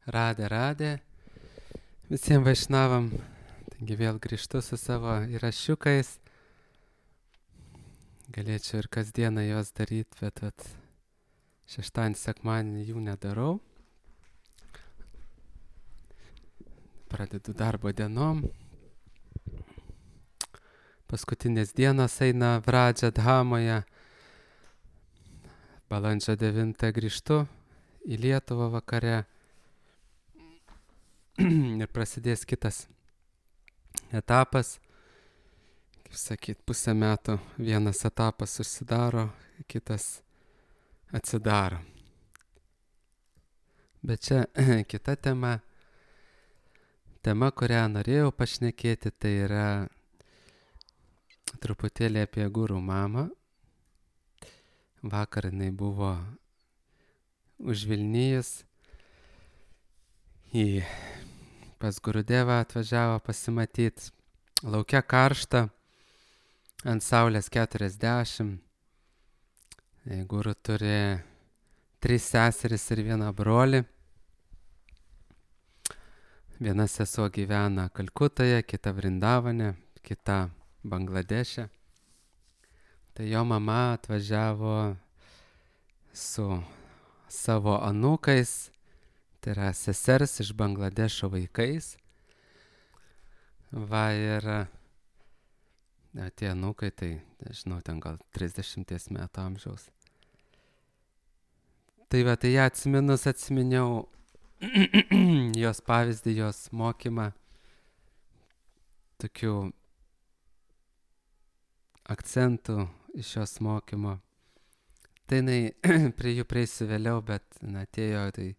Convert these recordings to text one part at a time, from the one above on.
Radė. Visiems vaišnavam. Taigi vėl grįžtu su savo įrašiukais. Galėčiau ir kasdieną juos daryti, bet šeštadienį, sekmadienį jų nedarau. Pradedu darbo dienom. Paskutinės dienos eina Vradža Dhamoje. Balandžio 9 grįžtu į Lietuvą vakare. Ir prasidės kitas etapas. Kaip sakyt, pusę metų vienas etapas užsidaro, kitas atsidaro. Bet čia kita tema. Tema, kurią norėjau pašnekėti, tai yra truputėlį apie guru mamą. Vakar jinai buvo užvilnijus pas Gurudevą atvažiavo pasimatyti. Laukia karšta, ant saulės 40. Guru turi 3 seseris ir 1 brolį. Viena sesuo gyvena Kalkutoje, kita Vrindavane, kita Bangladeše. Tai jo mama atvažiavo su savo anūkais, tai yra sesers iš Bangladešo vaikais. Va ir tie anūkai, tai nežinau, ten gal 30 metų amžiaus. Tai va, tai ją atsiminiau jos pavyzdį, jos mokymą, tokių akcentų iš jos mokymo. Tai jinai prie jų prieisiu vėliau, bet atėjo, tai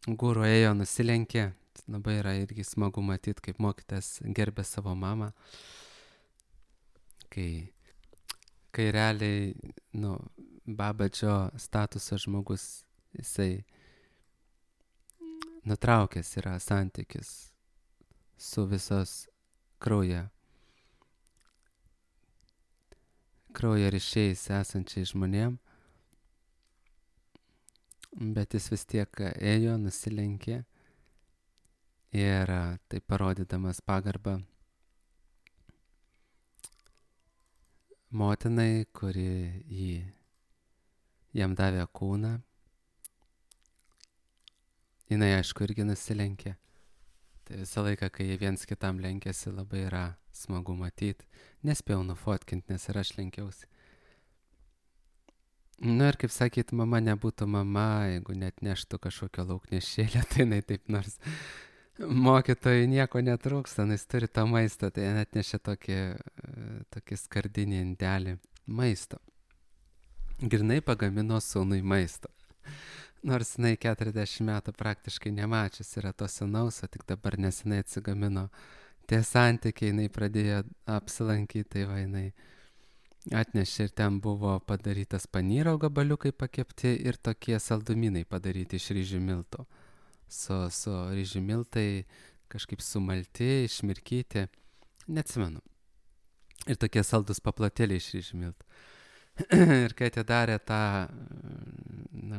guru ėjo, nusilenkė. Labai yra irgi smagu matyti, kaip mokytas gerbė savo mamą. Kai realiai, Babadžio statuso žmogus, jisai nutraukęs yra santykis su visos kraujo ryšiais esančiais žmonėm. Bet jis vis tiek ėjo, nusilenkė ir tai parodydamas pagarbą motinai, kuri jam davė kūną. Jinai, aišku, irgi nusilenkė. Tai visą laiką, kai jie viens kitam lenkėsi, labai yra smagu matyti. Nespėjau nufotkinti, nes ir aš lenkiausi. Ir kaip sakyt, mama nebūtų mama, jeigu net neštų kažkokio lauknešėlio, tai jinai taip nors mokytojai nieko netrūksta, jis turi tą maistą, tai net nešė tokį skardinį indelį maisto. Grinai pagamino sūnui maisto. Nors jinai 40 metų praktiškai nemačius yra to sūnaus, o tik dabar nesenai atsigamino tie santykiai, jinai pradėjo apsilankyti, tai va jinai atnešė ir ten buvo padarytas panyro gabaliukai pakepti ir tokie saldumynai padaryti iš ryžių miltų. Su ryžių miltai kažkaip sumalti, išmirkyti, neatsimenu. Ir tokie saldus paplotėliai iš ryžių miltų. Ir kai atidarė tą,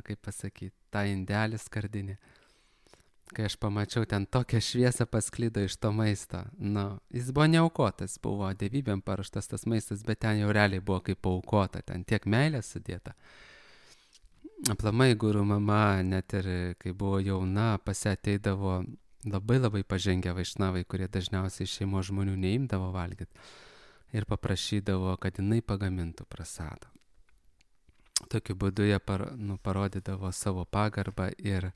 kaip pasakyti, tą indelį skardinį, kai aš pamačiau, ten tokią šviesą pasklido iš to maisto. Jis buvo neaukotas, buvo dievybėm paruoštas tas maistas, bet ten jau realiai buvo kaip paaukota, ten tiek meilės sudėta. Aplamai guru mama, net ir kai buvo jauna, pas ją ateidavo labai pažengę vaišnavai, kurie dažniausiai šeimos žmonių neimdavo valgyti. Ir paprašydavo, kad jinai pagamintų prasadą. Tokiu būdu jie parodydavo savo pagarbą ir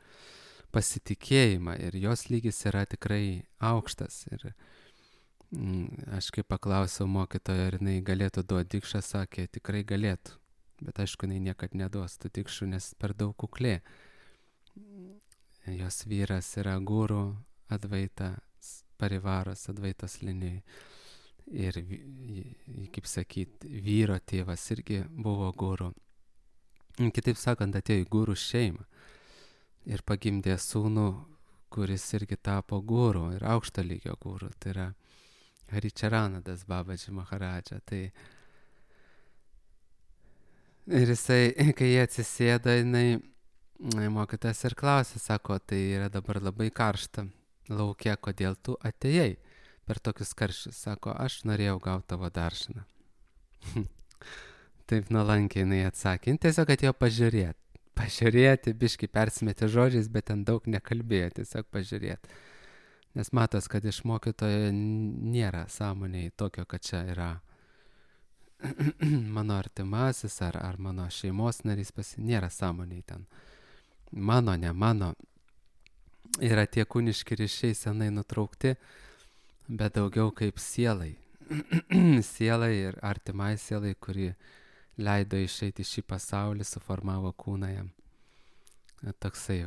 pasitikėjimą, ir jos lygis yra tikrai aukštas. Ir aš kai paklausiau mokytojo, ar jinai galėtų duoti dikšą, sakė, tikrai galėtų. Bet aišku, jinai niekad neduos tų dikšų, nes per daug kuklė. Jos vyras yra guru Advaitas Parivaras, Advaitos linijai. Ir, kaip sakyt, vyro tėvas irgi buvo guru. Kitaip sakant, atėjo į guru šeimą ir pagimdė sūnų, kuris irgi tapo guru ir aukšto lygio guru. Tai yra Haričaranadas Babadži Maharadža. Ir jisai, kai jie atsisėda, jinai mokytojas ir klausė, sako, tai yra dabar labai karšta lauke, kodėl tu atėjai per tokius karščius. Sako, aš norėjau gauti tavo daržinę. Taip nuolankiai jinai atsakė. Jin tiesiog atėjo pažiūrėti. Pažiūrėti, biški persimetė žodžiais, bet ten daug nekalbėjo, tiesiog pažiūrėti. Nes matos, kad iš mokytojo nėra sąmonėj tokio, kad čia yra mano artimasis ar mano šeimos narys, nėra sąmonėj ten. Mano, ne mano. Yra tie kūniški ryšiai senai nutraukti, bet daugiau kaip sielai. Sielai ir artimai sielai, kuri leido išeiti šį pasaulį, suformavo kūną jam. Toksai,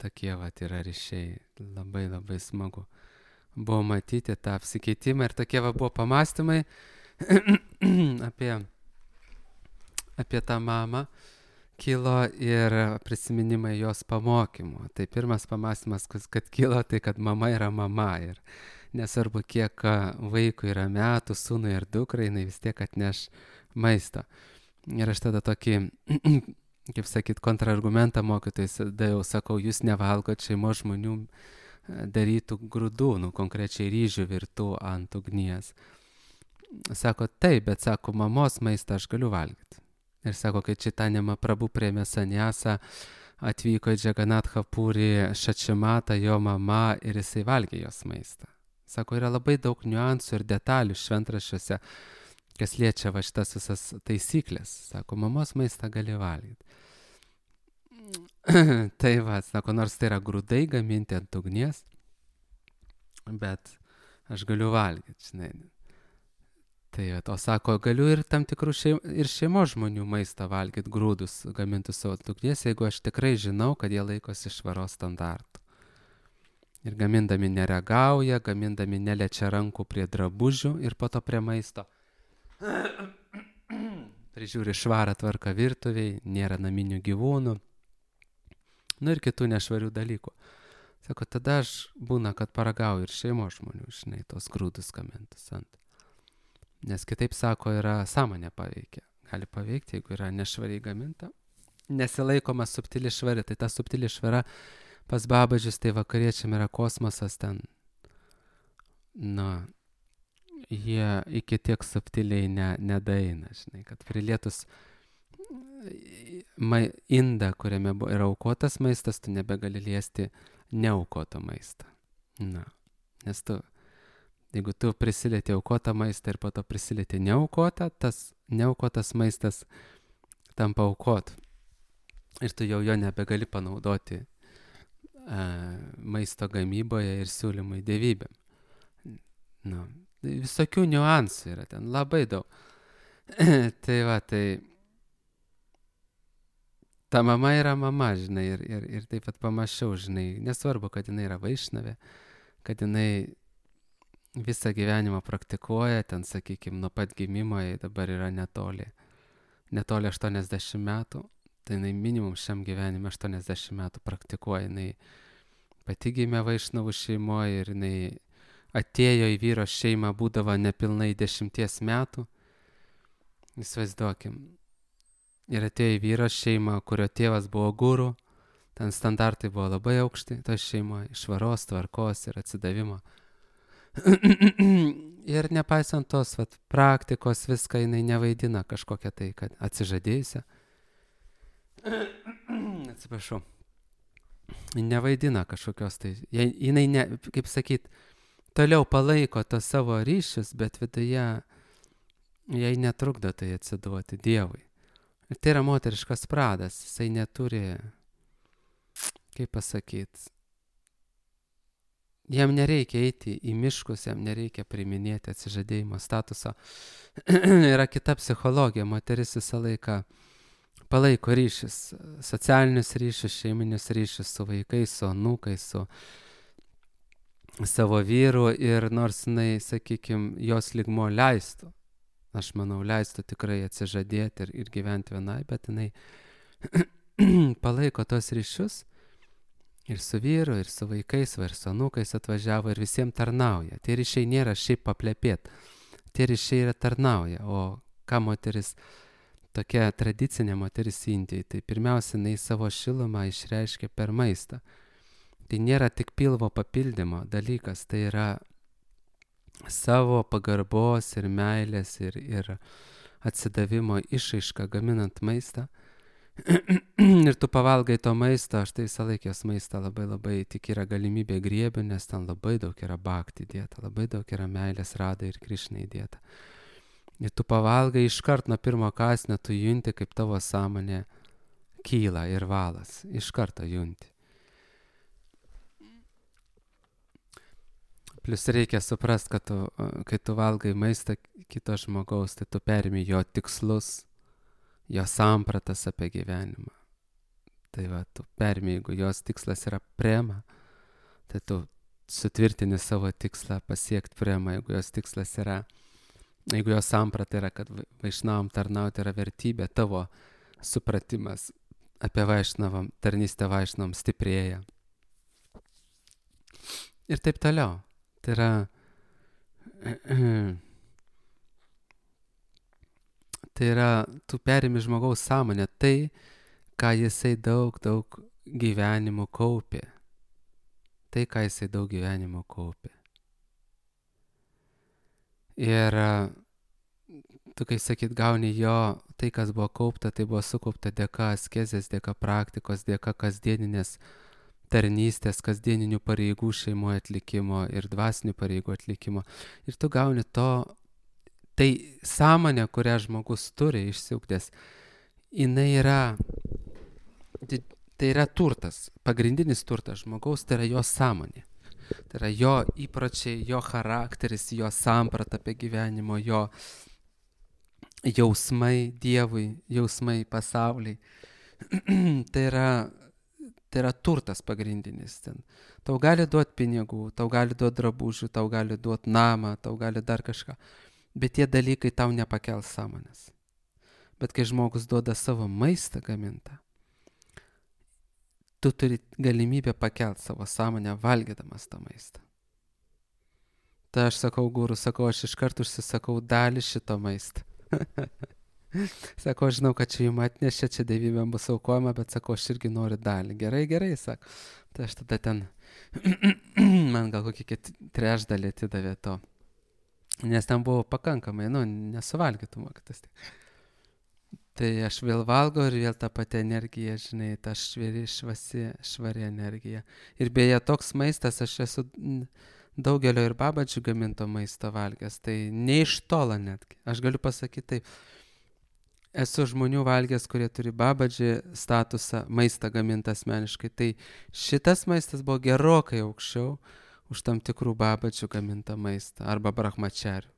tokie yra ryšiai. Labai labai smagu buvo matyti tą apsikeitimą ir tokie buvo pamastymai apie tą mamą kilo ir prisiminimai jos pamokymų. Tai pirmas pamastymas, kad kilo, tai kad mama yra mama ir nesvarbu, kiek vaikui yra metų, sūnui ir dukrai, jinai vis tiek atneš maisto. Ir aš tada tokį, kaip sakyt, kontrargumentą mokytojai daviau, sakau, jūs nevalgot šeimos žmonių darytų grūdų, konkrečiai ryžių virtų ant ugnies. Sako, taip, bet sako, mamos maistą aš galiu valgyti. Ir sako, kai Čitanja Mahaprabhu priėmė saniasą, atvyko į Džaganatha Purį Šačimatą, jo mama, ir jisai valgė jos maistą. Sako, yra labai daug niuansų ir detalių šventraščiuose, kas liečia šitas visas taisyklės. Sako, mamos maistą gali valgyti. Tai sako, nors tai yra grūdai gaminti ant ugnies, bet aš galiu valgyti, žinai. Tai o sako, galiu ir tam tikrų šeimos žmonių maistą valgyti, grūdus gamintus savo ugnies, jeigu aš tikrai žinau, kad jie laikosi švaros standartų. Ir gamindami neregauja, gamindami neliečia rankų prie drabužių ir po to prie maisto. Prižiūri švarą tvarką virtuviai, nėra naminių gyvūnų. Nu ir kitų nešvarių dalykų. Sako, tada aš būna, kad paragauju ir šeimos žmonių, žinai, tos grūdus gamintus ant. Nes kitaip, sako, yra sąmonė paveikia. Gali paveikti, jeigu yra nešvariai gaminta. Nesilaikoma subtili švari, tai ta subtili švara pas babažius, tai vakariečiam yra kosmosas ten. Jie iki tiek subtiliai nedaeina, žinai, kad prilietus indą, kuriame yra aukotas maistas, tu nebegali liesti neaukoto maistą. Nes jeigu tu prisilieti aukotą maistą ir po to prisilieti neaukotą, tas neaukotas maistas tampa aukot. Ir tu jau jo nebegali panaudoti maisto gamyboje ir siūlymui dievybėm. Visokių niuansų yra ten, labai daug. Tai ta mama yra mama, žinai, ir taip pat pamačiau, žinai, nesvarbu, kad jinai yra vaišnavė, kad jinai visą gyvenimą praktikuoja, ten, sakykime, nuo pat gimimo, jai dabar yra netoli 80 metų, tai jinai minimum šiam gyvenime 80 metų praktikuoja, jinai pati gimė vaišnavų šeimoje ir jinai atėjo į vyro šeimą, būdavo nepilnai 10 metų, įsivaizduokim, ir atėjo į vyro šeimą, kurio tėvas buvo guru, ten standartai buvo labai aukšti, to šeimoje, švaros, tvarkos ir atsidavimo. Ir nepaisant tos praktikos, viską jinai nevaidina kažkokią tai, kad atsižadėjusią. Atsiprašau. Nevaidina kažkokios tai. Jinai, kaip sakyt, toliau palaiko tos savo ryšius, bet viduje jai netrukdo tai atsiduoti Dievui. Ir tai yra moteriškas pradas. Jisai neturi, kaip pasakyt, jam nereikia eiti į miškus, jam nereikia priiminėti atsižadėjimo statuso. Yra kita psichologija, moteris visą laiką palaiko ryšius, socialinius ryšius, šeiminius ryšius su vaikais, su anūkais, su savo vyru ir nors jinai, sakykime, jos lygmo leistų, aš manau, leistų tikrai atsižadėti ir gyventi vienai, bet jinai palaiko tos ryšius. Ir su vyru, ir su vaikais, ir su anūkais atvažiavo ir visiems tarnauja. Tie ryšiai nėra šiaip paplepėt. Tie ryšiai yra tarnauja. O ką moteris tokia tradicinė moteris Indijai. Tai pirmiausia, jinai savo šilumą išreiškia per maistą. Tai nėra tik pilvo papildymo dalykas, tai yra savo pagarbos ir meilės ir atsidavimo išraiška gaminant maistą. Ir tu pavalgai to maisto, aš tai visą laiką jos maistą labai tik yra galimybė griebiu, nes ten labai daug yra bhakti įdėta, labai daug yra meilės Radai ir Krišnai įdėta. Ir tu pavalgai iškart nuo pirmo kąsnio, tu junti, kaip tavo sąmonė kyla ir valas. Iš karto junti. Plius reikia suprast, kad kai tu valgai maistą kito žmogaus, tai tu perimi jo tikslus, jo sampratas apie gyvenimą. Tai va, tu perimi, jeigu jos tikslas yra prema, tai tu sutvirtini savo tikslą pasiekti prema. Jeigu jos samprata yra, kad vaišnavam tarnauti yra vertybė, tavo supratimas apie vaišnavam, tarnystę vaišnavam stiprėja. Ir taip toliau. Tai yra tu perimi žmogaus sąmonę, tai, ką jisai daug gyvenimo kaupė. Ir tu, kai sakyt, gauni jo, tai, kas buvo kaupta, tai buvo sukaupta dėka askezės, dėka praktikos, dėka kasdieninės tarnystės, kasdieninių pareigų šeimoje atlikimo ir dvasinių pareigų atlikimo. Ir tu gauni to, tai sąmonė, kurią žmogus turi išsiugdęs, tai yra turtas, pagrindinis turtas žmogaus, tai yra jo sąmonė. Tai yra jo įpročiai, jo charakteris, jo samprata apie gyvenimo, jo jausmai Dievui, jausmai pasauliai. Tai yra turtas pagrindinis. Tau gali duoti pinigų, tau gali duoti drabužių, tau gali duoti namą, tau gali dar kažką. Bet tie dalykai tau nepakels sąmonės. Bet kai žmogus duoda savo maistą gamintą, tu turi galimybę pakelti savo sąmonę valgydamas tą maistą. Tai aš sakau, guru, aš iškart užsisakau dalį šito maisto. Sakau, aš žinau, kad čia jums atnešė, čia dievybėm bus aukojama, bet sakau, aš irgi noriu dalį. Gerai, sako. Tai aš tada ten, man gal kokį trečdalį atidavė to. Nes ten buvo pakankamai, nesuvalgytų mokytas. Tai aš vėl valgau ir vėl tą patį energiją, žinai, ta švari energija. Ir beje, toks maistas, aš esu daugelio ir babadžių gaminto maisto valgęs, tai ne iš tolo netgi. Aš galiu pasakyti taip, esu žmonių valgęs, kurie turi babadžių statusą, maistą gamintą asmeniškai, tai šitas maistas buvo gerokai aukščiau už tam tikrų babadžių gamintą maistą arba brahmačarių.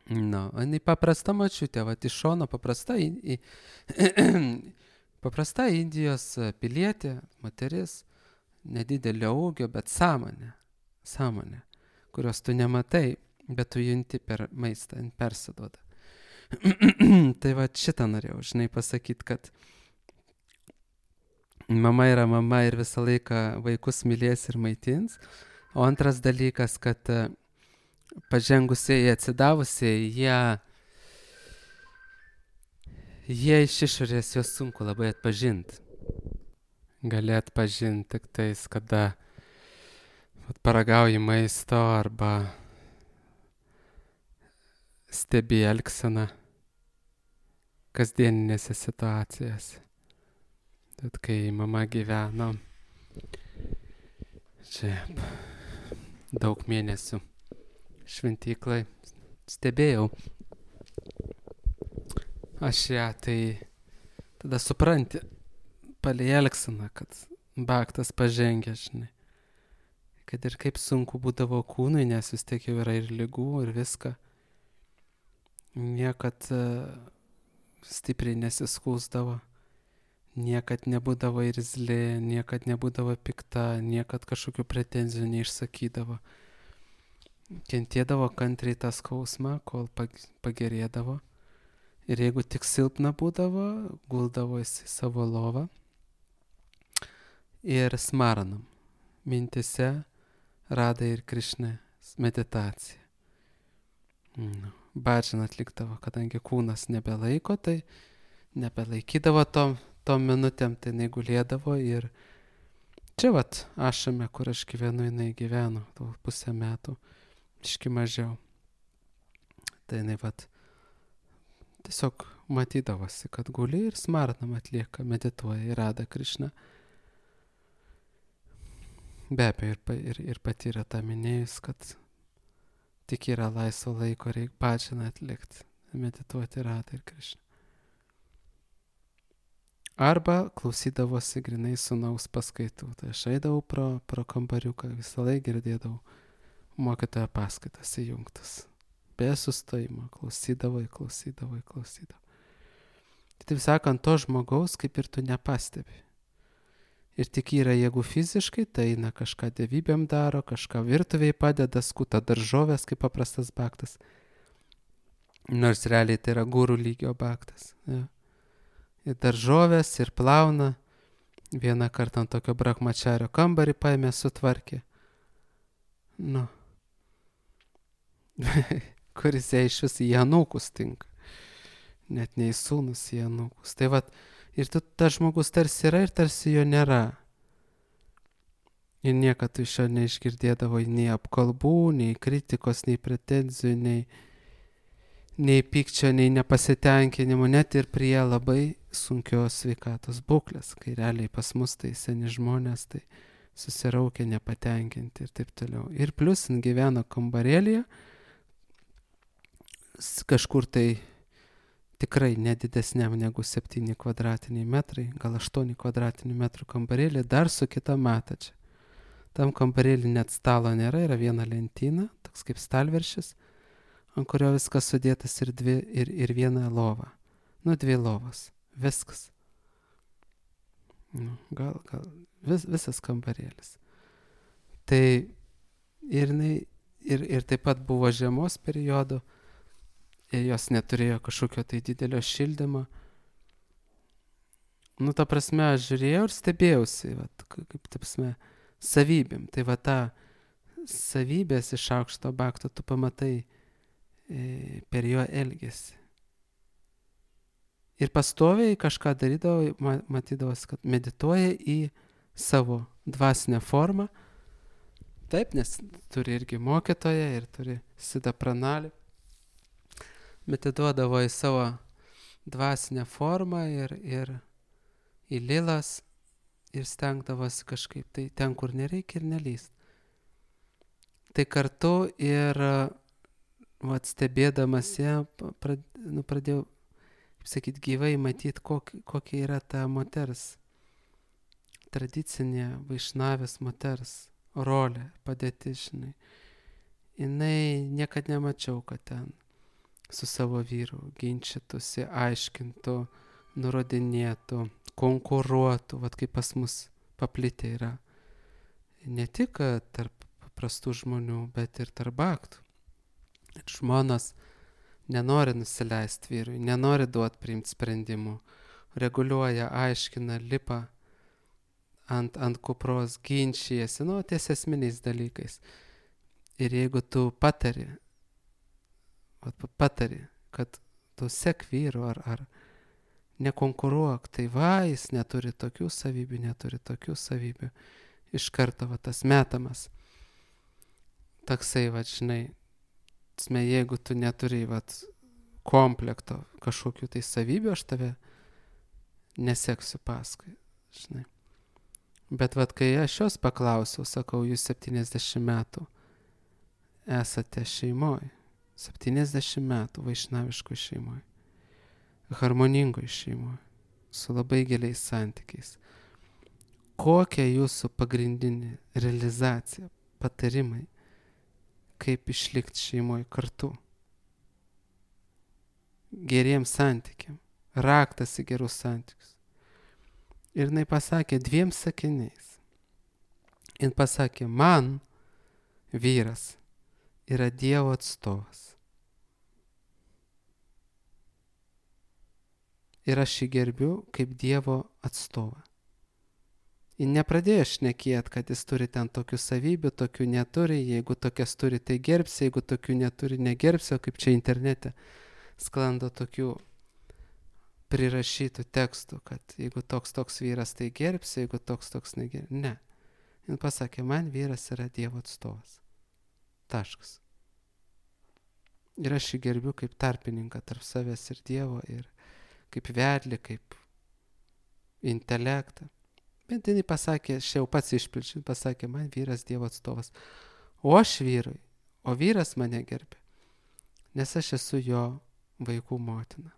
Jinai paprasta močiutė, iš šono paprasta Indijos pilietė, moteris, nedidelio ūgio, bet sąmonė, kurios tu nematai, bet tu junti per maistą, persiduoda. Tai va šitą norėjau, žinai, pasakyti, kad mama yra mama ir visą laiką vaikus mylės ir maitins. O antras dalykas, kad pažengusiai, atsidavusiai, jie iš išorės juos sunku labai atpažinti. Gali atpažinti tik tais, kada paragauji maisto arba stebi elgseną kasdieninėse situacijose. Bet kai mama gyveno čia daug mėnesių šventyklai, stebėjau aš ją, tai tada supranti palei elgseną, kad bhaktas pažengia, žinai. Kad ir kaip sunku būdavo kūnui, nes vis tiek jau yra ir ligų ir viską. Niekad stipriai nesiskųsdavo, niekad nebūdavo irzli, niekad nebūdavo pikta, niekad kažkokių pretenzijų neišsakydavo. Kentėdavo kantriai tą skausmą, kol pagerėdavo. Ir jeigu tik silpna būdavo, guldavo į savo lovą ir smaranam. Mintise Radai ir Krišnai meditacija. badžiną atlikdavo, kadangi kūnas nebelaiko, tai nebelaikydavo tom minutėm, tai jinai gulėdavo ir čia vat Ašame, kur aš gyvenu, jinai gyveno 2,5 metų, iški mažiau. Tai jinai vat tiesiog matydavosi, kad guli ir smarnam atlieka, medituoja ir Rada Krišna. Be abejo, ir pati yra tą minėjus, kad tik yra laisvo laiko, reikia badžiną atlikti, medituoti Radai ir Krišna. Arba klausydavosi grinai sūnaus paskaitų. Tai aš eidavau pro kambariuką, visą laiką girdėdavau mokytojo paskaitas įjungtas. Be sustojimo, klausydavau. Taip sakant, to žmogaus kaip ir tu nepastebi. Ir tik yra, jeigu fiziškai, tai eina kažką dievybėm daro, kažką virtuviai padeda, skuta daržovės kaip paprastas baktas. Nors realiai tai yra gurų lygio baktas. Ja. Ir daržovės, ir plauna. Vieną kartą ant tokio brahmačario kambarį paėmė, sutvarkė. Nu. Kuris jai iš vis į anūkus tinka. Net ne į sūnus, į anūkus. Tai vat, ir tas žmogus tarsi yra ir tarsi jo nėra. Ir niekad tu iš jo neišgirdėdavo nei apkalbų, nei kritikos, nei pretenzijų, nei pykčio, nei nepasitenkinimo, net ir prie labai sunkios sveikatos būklės, kai realiai pas mus tai seni žmonės, tai susiraukia, nepatenkinti ir taip toliau. Ir plius jin gyveno kambarėlyje, kažkur tai tikrai nedidesniam negu 7 kvadratiniai metrai, gal 8 kvadratinių metrų kambarėlį, dar su kita matačia. Tam kambarėlį net stalo nėra, yra viena lentyna, toks kaip stalviršis, ant kurio viskas sudėtas ir viena lova. 2 lovas. Viskas. Gal visas kambarėlis. Tai ir taip pat buvo žiemos periodu, ir jos neturėjo kažkokio tai didelio šildymo. Ta prasme, aš žiūrėjau ir stebėjausi, kaip, ta prasme, savybėm. Tai ta savybės iš aukšto bakto tu pamatai per jo elgesį. Ir pastoviai kažką darydavo, matydavosi, kad medituoja į savo dvasinę formą. Taip, nes turi irgi mokytoją ir turi Siddha Pranali. Medituodavo į savo dvasinę formą ir į lilas ir stengdavosi kažkaip tai ten, kur nereikia ir nelyst. Tai kartu ir stebėdamas ją pradėjau, kaip sakyti, gyvai matyti, kokia yra ta moters, tradicinė vaišnavės moters rolė, padėtis, žinai. Jinai niekad nemačiau, kad ten su savo vyru ginčytųsi, aiškintų, nurodinėtų, konkuruotų, kaip pas mus paplitę yra. Ne tik tarp paprastų žmonių, bet ir tarp baktų. Ir žmonos nenori nusileisti vyrui, nenori duoti priimti sprendimų, reguliuoja, aiškina, lipa ant kupros, ginčijasi, ties esminiais dalykais. Ir jeigu tu patari, kad tu sek vyru ar nekonkuruok, tai jis neturi tokių savybių, iš karto tas metamas. Toksai, žinai, jeigu tu neturi komplekto kažkokių tai savybių, aš tave neseksiu paskui, žinai. Bet kai aš jos paklausiau, sakau, jūs 70 metų esate šeimoje, 70 metų vaišnaviškoj šeimoje, harmoningoj šeimoje, su labai giliais santykiais. Kokia jūsų pagrindinė realizacija, patarimai, kaip išlikti šeimoje kartu? Geriems santykiam, raktas į gerus santykius. Ir jinai pasakė 2 sakiniais. Jin pasakė, man vyras yra Dievo atstovas. Ir aš jį gerbiu kaip Dievo atstovą. Ji nepradėjo šnekėti, kad jis turi ten tokių savybių, tokių neturi, jeigu tokias turi, tai gerbsi, jeigu tokių neturi, negerbsi, o kaip čia internete sklando tokių prirašytų tekstų, kad jeigu toks vyras, tai gerbsi, jeigu toks negerbsi. Ne. Jis pasakė, man vyras yra Dievo atstovas. Taškas. Ir aš jį gerbiu kaip tarpininką tarp savęs ir Dievo, ir kaip vedlį, kaip intelektą. Bet jinai pasakė, aš jau pats išpilčiu, pasakė, man vyras Dievo atstovas. O aš vyrui, o vyras mane gerbė, nes aš esu jo vaikų motina,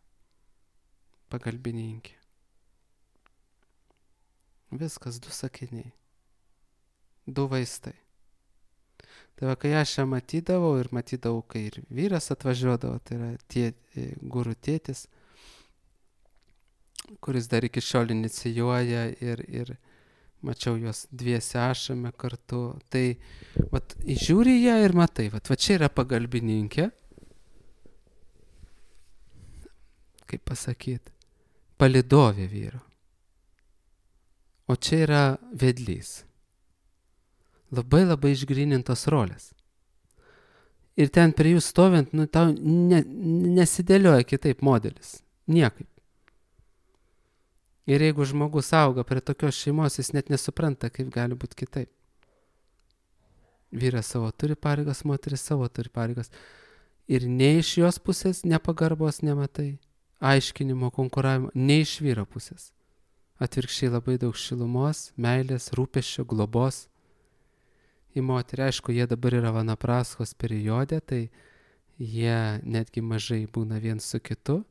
pagalbininkė. Viskas, 2 sakiniai, 2 vaistai. Tai va, kai aš ją matydavau ir matydavau, kai ir vyras atvažiuodavo, tai yra guru tėtis, kuris dar iki šiol inicijuoja ir mačiau juos dviese ašame kartu. Tai vat, žiūri ją ir matai, vat čia yra pagalbininkė, kaip pasakyti, palydovė vyro. O čia yra vedlys. Labai išgrynintos rolės. Ir ten prie jų stovint, tau nesidėlioja kitaip modelis. Niekaip. Ir jeigu žmogus auga prie tokios šeimos, jis net nesupranta, kaip gali būti kitaip. Vyras savo turi pareigas, moteris savo turi pareigas. Ir nei iš jos pusės nepagarbos nematai, aiškinimo, konkuravimo, nei iš vyro pusės. Atvirkščiai labai daug šilumos, meilės, rūpesčio, globos. Į moterį, aišku, jie dabar yra vanapraskos periode, tai jie netgi mažai būna vien su kitu.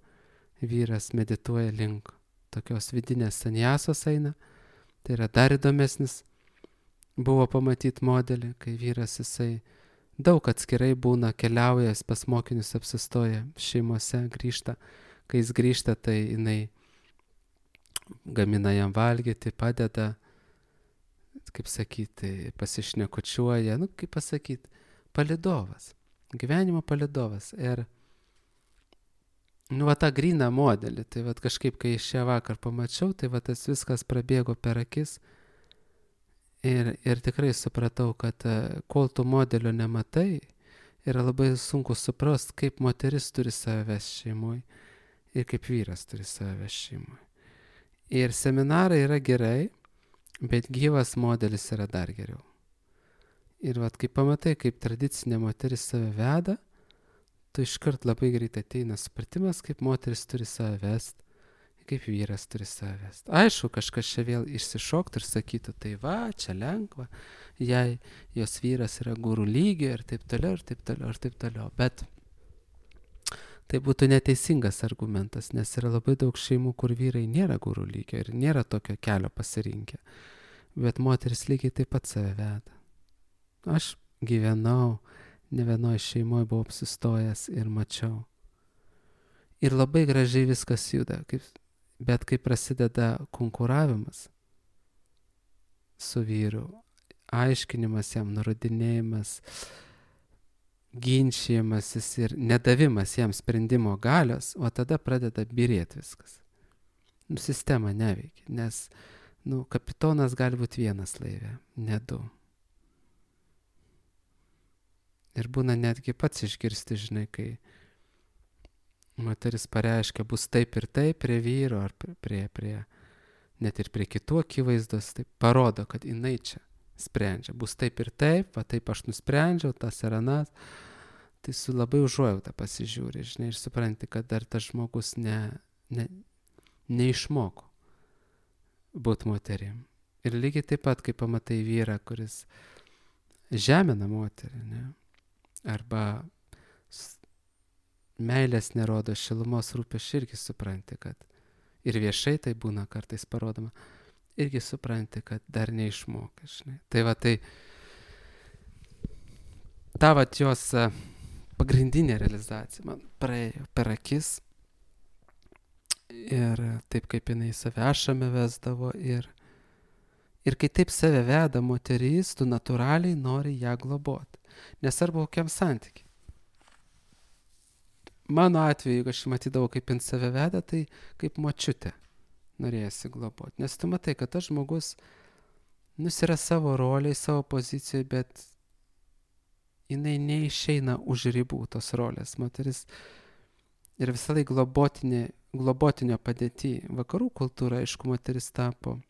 Vyras medituoja link tokios vidinės sanjasos eina. Tai yra dar įdomesnis buvo pamatyti modelį, kai vyras jisai daug atskirai būna, keliauja, pas mokinius apsistoja, šeimose grįžta. Kai jis grįžta, tai jinai gamina jam valgyti, padeda, kaip sakyti, pasišnekučiuoja, kaip pasakyti, palydovas, gyvenimo palydovas. Ir va tą gryną modelį, tai va kažkaip, kai šią vakar pamačiau, tai va tas viskas prabėgo per akis ir tikrai supratau, kad kol tu modelio nematai, yra labai sunku suprast, kaip moteris turi save vesti šeimoj ir kaip vyras turi save vesti šeimoj. Ir seminarai yra gerai, bet gyvas modelis yra dar geriau. Ir vat kai pamatai, kaip tradicinė moteris save veda, tu iškart labai greit ateina supratimas, kaip moteris turi save vest, kaip vyras turi save vest. Aišku, kažkas čia vėl išsišoktų ir sakytų, tai va, čia lengva, jei jos vyras yra guru lygio ir taip toliau, ir taip toliau, ir taip toliau. Bet tai būtų neteisingas argumentas, nes yra labai daug šeimų, kur vyrai nėra guru lygio ir nėra tokio kelio pasirinkę. Bet moteris lygiai taip pat save veda. Aš gyvenau, ne vienoje šeimoje buvau apsistojęs ir mačiau. Ir labai gražiai viskas juda, bet kai prasideda konkuravimas su vyru, aiškinimas jam, nurodinėjimas, ginčijimasis ir nedavimas jam sprendimo galios, o tada pradeda byrėti viskas. Sistema neveikia, nes kapitonas gali būti vienas laive, ne 2. Ir būna netgi pats išgirsti, žinai, kai moteris pareiškia, bus taip ir taip prie vyro, ar net ir prie kitų akivaizdos, tai parodo, kad jinai čia sprendžia. Bus taip ir taip, va taip aš nusprendžiau, tas ir anas. Tai su labai užuojauta pasižiūri, žinai, ir supranti, kad dar tas žmogus neišmoko būti moterim. Ir lygiai taip pat, kai pamatai vyrą, kuris žemina moterį, ne? Arba meilės nerodo, šilumos rūpesčio, irgi supranti, kad ir viešai tai būna kartais parodoma, irgi supranti, kad dar neišmokai, žinai. Tai va, tai ta va jos pagrindinė realizacija man praėjo per akis ir taip kaip jinai save ašame vesdavo ir kai taip save veda moteris, tu natūraliai nori ją globoti. Nesvarbu kokiam santykiai. Mano atveju, jeigu aš matydavau, kaip jin save veda, tai kaip močiutė norėjosi globoti. Nes tu matai, kad tas žmogus Jis yra savo roliai, savo pozicijoje, bet jinai neišeina už ribų tos rolės. Moteris ir visą laiką globotinio padėtį. Vakarų kultūra, aišku, moteris tapo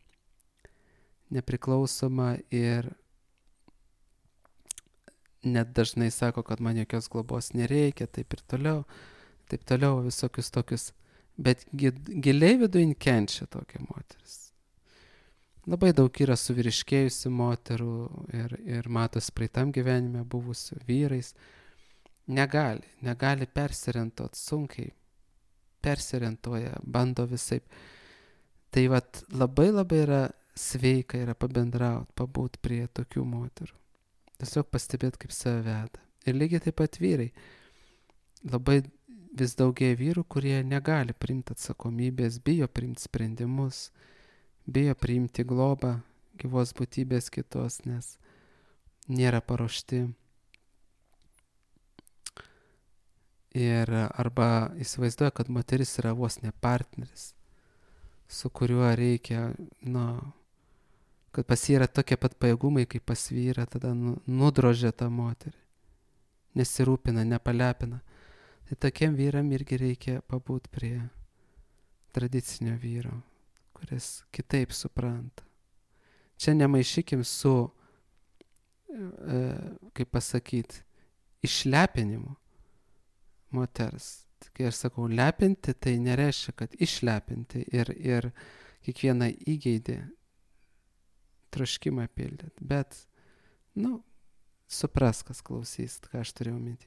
nepriklausoma ir net dažnai sako, kad man jokios globos nereikia, taip toliau, visokius tokius. Bet giliai viduje kenčia tokia moteris. Labai daug yra suvyriškėjusių moterų ir matosi praeitam gyvenime buvusių vyrais. Negali persiorientuoti, sunkiai persiorientuoja, bando visaip. Tai vat labai yra sveika yra pabendrauti, pabūt prie tokių moterų. Tiesiog pastebėti, kaip save veda. Ir lygiai taip pat vyrai. Labai vis daugėja vyrų, kurie negali priimti atsakomybės, bijo priimti sprendimus, bijo priimti globą gyvos būtybės kitos, nes nėra paruošti. Ir arba įsivaizduoja, kad moteris yra vos ne partneris, su kuriuo reikia, kad pas jį yra tokie pat pajėgumai, kaip pas vyrą, tada nudrožia tą moterį, nesirūpina, nepalepina. Tai tokiem vyram irgi reikia pabūt prie tradicinio vyro, kuris kitaip supranta. Čia nemaišykim su, kaip pasakyti, išlepinimu moters. Kai aš sakau lepinti, tai nereiškia, kad išlepinti ir kiekvieną įgeidį troškimą pildyti. Bet, supras, kas klausys, ką aš turėjau minti.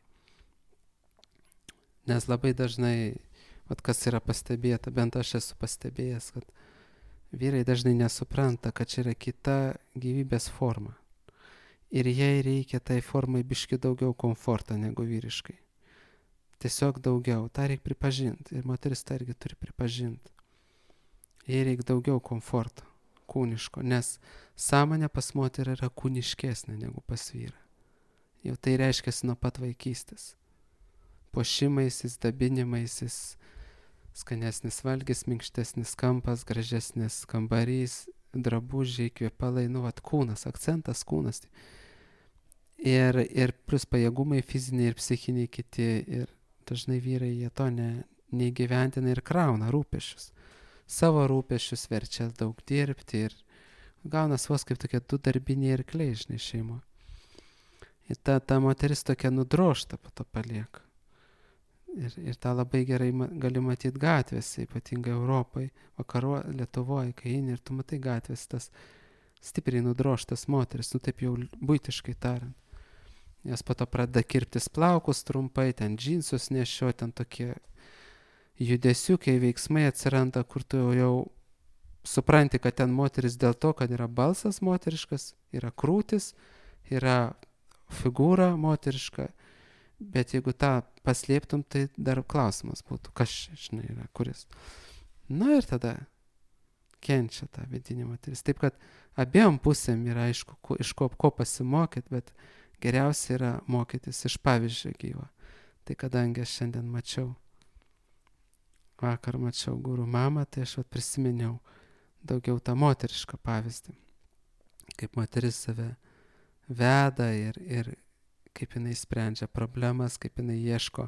Nes labai dažnai, kas yra pastebėta, bent aš esu pastebėjęs, kad vyrai dažnai nesupranta, kad čia yra kita gyvybės forma. Ir jai reikia tai formai biški daugiau komforto negu vyriškai. Tiesiog daugiau, tą reikia pripažinti. Ir moteris tą irgi turi pripažinti. Jai reikia daugiau komforto, kūniško, nes sąmonė pas moterį yra kūniškesnė negu pas vyrą. Jau tai reiškia nuo pat vaikystės. Puošimaisis, dabinimaisis, skanesnis valgis, minkštesnis kampas, gražesnis kambarys, drabužiai, kvepalai, kūnas, akcentas kūnas. Ir plus pajėgumai fiziniai ir psichiniai kiti. Ir dažnai vyrai jie to neįgyventina ir krauna rūpesčius. Savo rūpesčius verčia daug dirbti ir gaunas vos kaip tokie du darbiniai arkliai, šeimo. Ir ta moteris tokia nudrožta po to palieka. Ir tą labai gerai gali matyti gatvėse, ypatingai Europai, Lietuvoje, kai eini ir tu matai gatvės tas stipriai nudrožtas moteris, taip jau buitiškai tariant. Jas po to pradeda kirptis plaukus trumpai, ten džinsus nešio, ten tokie judesiukai, veiksmai atsiranda, kur tu jau supranti, kad ten moteris dėl to, kad yra balsas moteriškas, yra krūtis, yra figūra moteriška, bet jeigu tą paslėptum, tai dar klausimas būtų, kas čia, yra, kuris. Ir tada kenčia tą vidinį moteris. Taip, kad abiem pusėm yra aišku, iš ko pasimokyti, bet geriausia yra mokytis iš pavyzdžio gyvo. Tai kadangi aš šiandien vakar mačiau guru mamą, tai aš prisiminiau daugiau tą moterišką pavyzdį. Kaip moteris save veda ir kaip jinai sprendžia problemas, kaip jinai ieško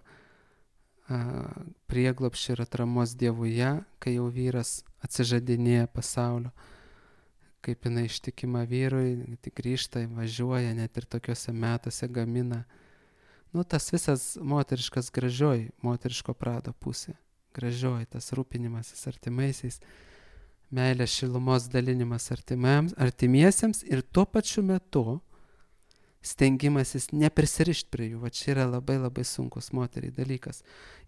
prieglobsčio ir atramos Dievuje, kai jau vyras atsižadinėja pasaulio. Kaip jinai ištikima vyrui, tik grįžta, važiuoja, net ir tokiuose metuose gamina. Tas visas moteriškas gražioji, moteriško prado pusė. Gražioji, tas rūpinimasis artimaisiais, meilės šilumos dalinimas artimiesiems ir tuo pačiu metu stengimasis neprisirišti prie jų. Va čia yra labai labai sunkus moteriai dalykas.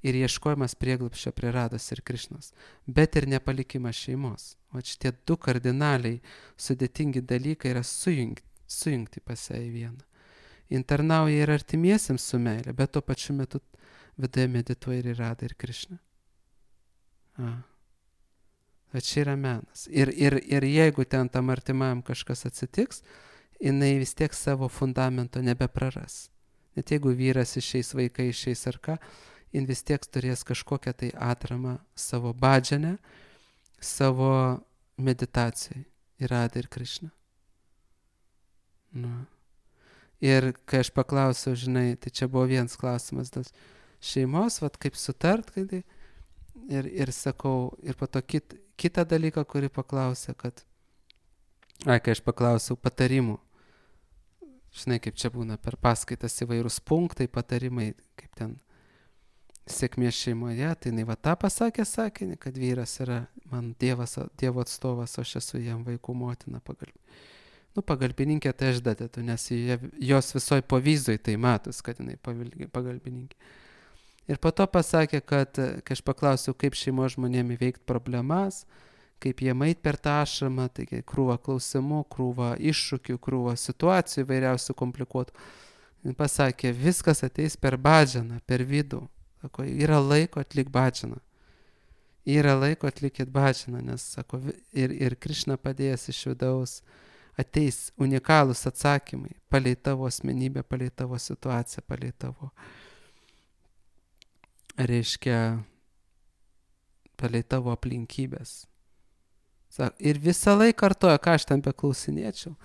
Ir ieškojimas prieglobsčio prie Rados ir Krišnos. Bet ir nepalikimas šeimos. Va šitie du kardinaliai sudėtingi dalykai yra sujungti pas ją į vieną. Internauja ir artimiesiems su meilė, bet tuo pačiu metu viduje medituoja ir Radą ir Krišną. Va čia yra menas. Ir jeigu ten tam artimam kažkas atsitiks, jinai vis tiek savo fundamento nebepraras. Net jeigu vyras išeis, vaikai išeis ar ką, jin vis tiek turės kažkokią tai atramą savo bhadžane, savo meditacijai į Radą ir Krišną. Nu. Ir kai aš paklausiau, žinai, tai čia buvo vienas klausimas dėl šeimos, vat kaip sutart, kai ir sakau, ir po to kitą dalyką, kurį paklausė, kad, kai aš paklausiau patarimų, žinai, kaip čia būna per paskaitas įvairūs punktai, patarimai, kaip ten sėkmės šeimoje, tai jinai va tą pasakė sakinį, kad vyras yra man Dievo atstovas, o aš esu jam vaikų motina pagalbininkė, tai aš dadedu, nes jos visoj povyzoj tai matos, kad jinai pagalbininkė. Ir po to pasakė, kad kai aš paklausiau, kaip šeimos žmonėm įveikti problemas, kaip jie eit per tą ašramą, taigi krūva klausimų, krūva iššūkių, krūva situacijų įvairiausių komplikuotų. Jis pasakė, viskas ateis per badžaną, per vidų. Sako, yra laiko atlik badžaną. Yra laiko atlikit badžaną, nes, sako, ir Krišna padėjęs iš vidaus ateis unikalūs atsakymai palei tavo asmenybę, palei tavo situaciją, palei tavo, reiškia, palei tavo aplinkybės. Ir visą laiką kartoja, ką aš tam beklausinėčiau.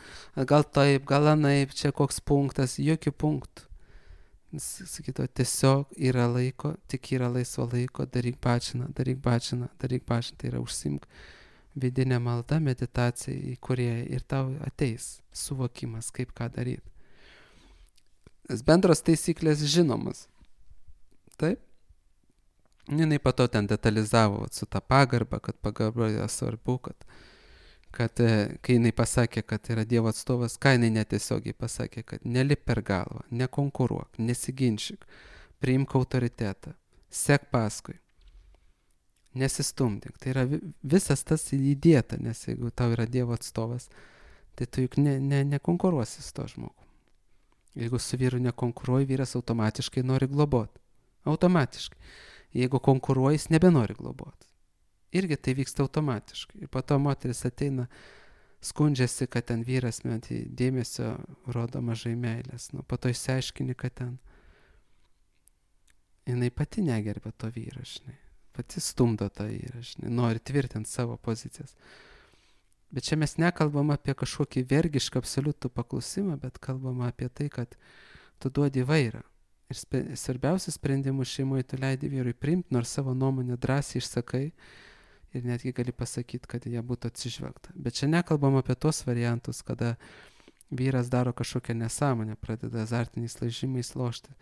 Gal taip, gal anaip, čia koks punktas, jokių punktų. Sakyto, tiesiog yra laiko, tik yra laisvo laiko, daryk badžaną. Tai yra užsimk vidinė malda, meditacija į Kūrėją ir tau ateis suvokimas, kaip ką daryti. Nes bendros taisyklės žinomas. Taip? Jinai po to ten detalizavo su tą pagarbą, kad pagarba yra svarbu, kad kai jinai pasakė, kad yra Dievo atstovas, ką jinai netiesiogiai pasakė, kad nelip per galvą, nekonkuruok, nesiginčyk, priimk autoritetą, sek paskui, nesistumdyk. Tai yra visas tas įdėta, nes jeigu tau yra Dievo atstovas, tai tu juk nekonkuruosi su to žmogu. Jeigu su vyru nekonkuruoji, vyras automatiškai nori globoti. Automatiškai. Jeigu konkuruoji, jis nebenori globoti. Irgi tai vyksta automatiškai. Ir po to moteris ateina, skundžiasi, kad ten vyras dėmesio rodo mažai meilės. Po to išsiaiškini, kad ten jinai pati negerbė to vyro, žinai. Pati stumdo tą vyrą, žinai. Nori tvirtinti savo pozicijas. Bet čia mes nekalbam apie kažkokį vergišką absoliutų paklusimą, bet kalbam apie tai, kad tu duodi vairą. Ir svarbiausius sprendimus šeimoje tu leidi vyrui priimti, nors savo nuomonę drąsiai išsakai ir netgi gali pasakyti, kad jie būtų atsižvelgta. Bet čia nekalbam apie tos variantus, kada vyras daro kažkokią nesąmonę, pradeda azartiniais lažymais lošti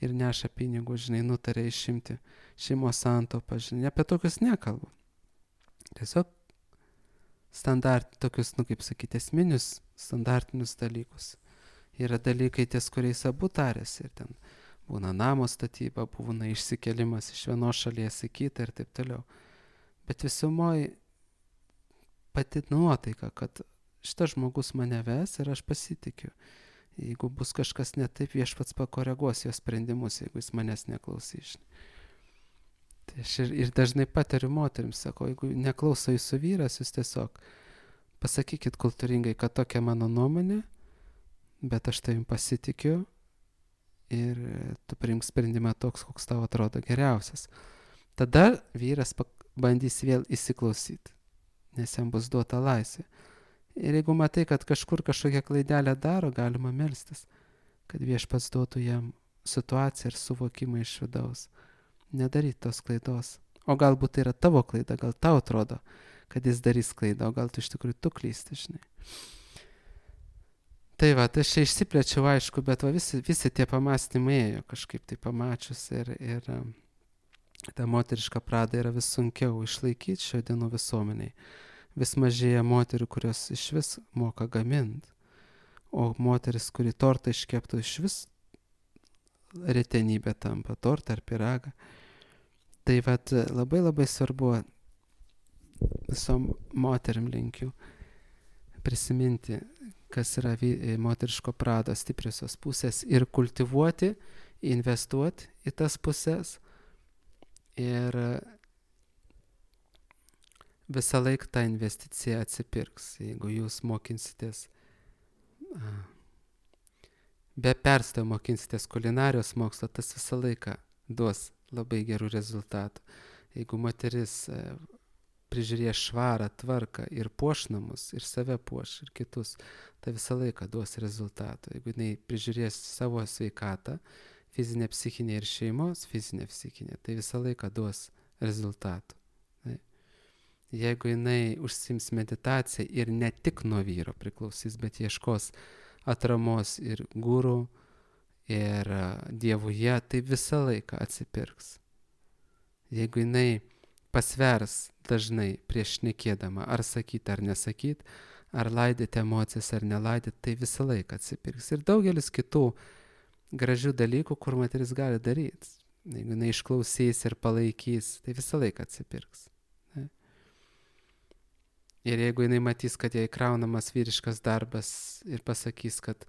ir neša pinigų, žinai, nutarė išimti šeimos santaupą, žinai, apie tokius nekalbu. Tiesiog tokius, kaip sakyti, esminius standartinius dalykus. Yra dalykai, ties kuriais abu tarėsi ir ten būna namo statyba, būna išsikelimas iš vienos šalies į kitą ir taip toliau. Bet visumoj pati nuotaika, kad šitas žmogus mane ves ir aš pasitikiu. Jeigu bus kažkas ne taip, viešpats pakoreguos jo sprendimus, jeigu jis manęs neklausys. Tai aš ir dažnai patariu moterims, sako, jeigu neklauso jūsų vyras, jūs tiesiog pasakykit kultūringai, kad tokia mano nuomonė, bet aš tavim pasitikiu ir tu priimk sprendimą toks, koks tau atrodo geriausias. Tada vyras bandys vėl įsiklausyti, nes jam bus duota laisvė. Ir jeigu matai, kad kažkur kažkokią klaidelę daro, galima melstis, kad viešpats duotų jam situaciją ir suvokimą iš vidaus. Nedaryti tos klaidos. O galbūt tai yra tavo klaida, gal tau atrodo, kad jis darys klaidą, o gal tu iš tikrųjų tu klysti, žinai. Tai va, aš čia išsiplėčiau, aišku, bet va, visi tie pamastymai ėjo kažkaip tai pamačius ir ta moteriška prada yra vis sunkiau išlaikyti šio dienų visuomeniai. Vis mažėja moterių, kurios iš vis moka gaminti, o moteris, kuri tortą iškeptų, iš vis retenybė tampa, tortą ar pyragą. Tai va, labai labai svarbu visom moterim linkiu prisiminti, kas yra moteriško prado stipriosios pusės ir kultivuoti, investuoti į tas pusės ir visą laiką ta investicija atsipirks, jeigu jūs mokinsitės, be perstojo mokinsitės kulinarijos mokslo, tas visą laiką duos labai gerų rezultatų. Jeigu moteris prižiūrės švarą, tvarką ir puoš namus, ir save puoš, ir kitus, tai visą laiką duos rezultatų. Jeigu jinai prižiūrės savo sveikatą, fizinė, psichinė ir šeimos, fizinė, psichinė, tai visą laiką duos rezultatų. Jeigu jinai užsiims meditaciją ir ne tik nuo vyro priklausys, bet ieškos atramos ir gurų, ir dievuje, tai visą laiką atsipirks. Jeigu jinai pasvers dažnai prieš šnekėdama, ar sakyt ar nesakyt, ar laidyti emocijas ar nelaidyti, tai visą laiką atsipirks. Ir daugelis kitų gražių dalykų, kur moteris gali daryti. Jeigu jinai išklausys ir palaikys, tai visą laiką atsipirks. Ne? Ir jeigu jinai matys, kad jai kraunamas vyriškas darbas ir pasakys, kad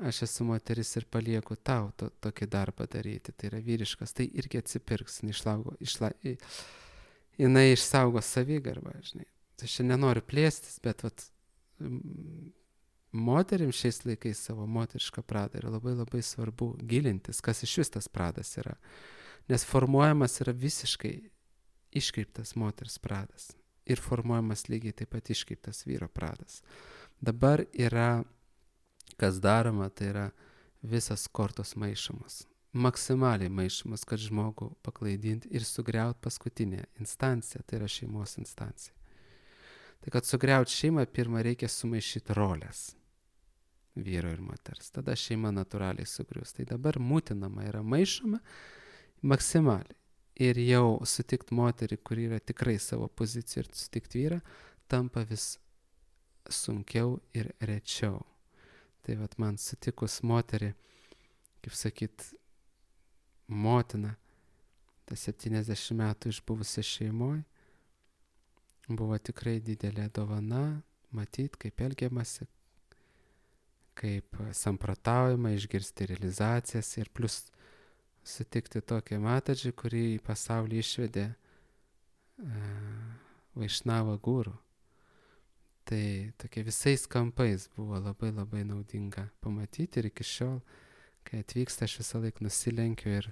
aš esu moteris ir palieku tau tokį darbą daryti, tai yra vyriškas, tai irgi atsipirks, jinai išsaugo savigarbą, žinai. Tai aš nenoriu plėstis, bet moterim šiais laikais savo moterišką pradą yra labai labai svarbu gilintis, kas iš vis tas pradas yra. Nes formuojamas yra visiškai iškreiptas moters pradas ir formuojamas lygiai taip pat iškreiptas vyro pradas. Dabar yra kas daroma, tai yra visas kortos maišomas. Maksimaliai maišomas, kad žmogų paklaidinti ir sugriauti paskutinę instanciją, tai yra šeimos instancija. Tai kad sugriauti šeimą, pirmą reikia sumaišyti rolės vyro ir moters. Tada šeima natūraliai sugrius. Tai dabar mutinama yra maišoma maksimaliai. Ir jau sutikti moterį, kuri yra tikrai savo pozicijų, ir sutikti vyrą, tampa vis sunkiau ir rečiau. Tai man sutikus moterį, kaip sakyt, motina, ta 70 metų išbuvusi šeimoje, buvo tikrai didelė dovana, matyti, kaip elgiamasi, kaip samprotaujama, išgirsti realizacijas ir plus sutikti tokią matadžį, kurį į pasaulį išvedė Vaišnava guru. Tai tokie visais kampais buvo labai labai naudinga pamatyti ir iki šiol, kai atvyksta, aš visą laiką nusilenkiu ir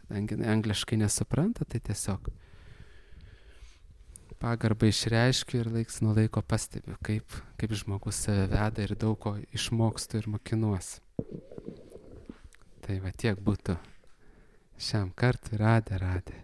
kadangi angliškai nesupranta, tai tiesiog pagarbą išreiškiu ir laiks nuo laiko pastebiu, kaip žmogus save veda ir daug ko išmokstu ir mokinuosi. Tai tiek būtų šiam kartui. Radė.